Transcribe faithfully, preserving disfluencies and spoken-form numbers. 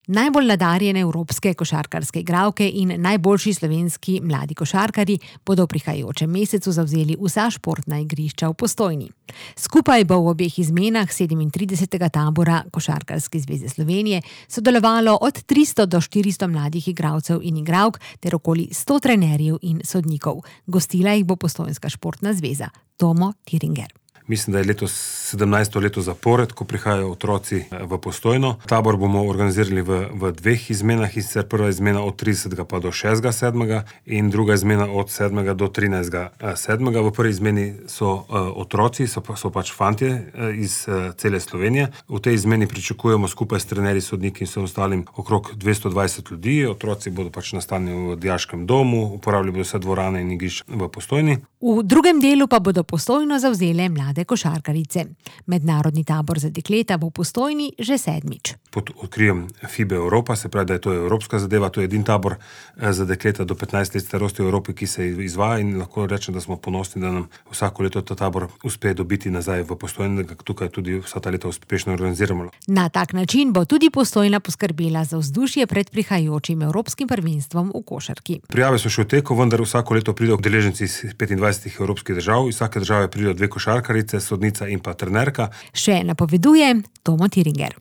Najbolj nadarjene evropske košarkarske igralke in najboljši slovenski mladi košarkarji bodo v prihajajočem mesecu zavzeli vsa športna igrišča v Postojni. Skupaj bo v obeh izmenah sedemintridesetega tabora Košarkarske zveze Slovenije sodelovalo od tristo do štiristo mladih igralcev in igralk ter okoli sto trenerjev in sodnikov. Gostila jih bo Postojnska športna zveza. Tomo Tiringer. Mislim, da je letos sedemnajsto leto zapored, ko prihajajo otroci v Postojno. Tabor bomo organizirali v, v dveh izmenah, in sicer prva izmena od tridesetega pa do šestega sedmega in druga izmena od sedmega do trinajstega sedmega. V prvi izmeni so uh, otroci, so, so pač fantje uh, iz uh, cele Slovenije. V tej izmeni pričakujemo skupaj s trenerji, sodniki in vsem ostalim okrog dvesto dvajset ljudi. Otroci bodo pač nastanjeni v dijaškem domu, uporabljali bodo vse dvorane in igrišča v Postojni. V drugem delu pa bodo Postojno zavzele mlade košarkarice. Mednarodni tabor za dekleta bo v Postojni že sedmič. Pod okriljem FIBA Evropa, se pravi, da je to evropska zadeva, to je edini tabor za dekleta do petnajst let starosti v Evropi, ki se izvaja, in lahko rečem, da smo ponosni, da nam vsako leto ta tabor uspe dobiti nazaj v Postojni, da ga tukaj tudi vsa ta leta uspešno organiziramo. Na tak način bo tudi Postojna poskrbela za vzdušje pred prihajajočim evropskim prvenstvom v košarki. Prijave so še v teku, vendar vsako leto pridejo udeleženci iz petindvajsetih evropskih držav, iz vsake države pridejo dve košarkarice, sodnica in pa trenerka. Še napoveduje Tomo Tiringer.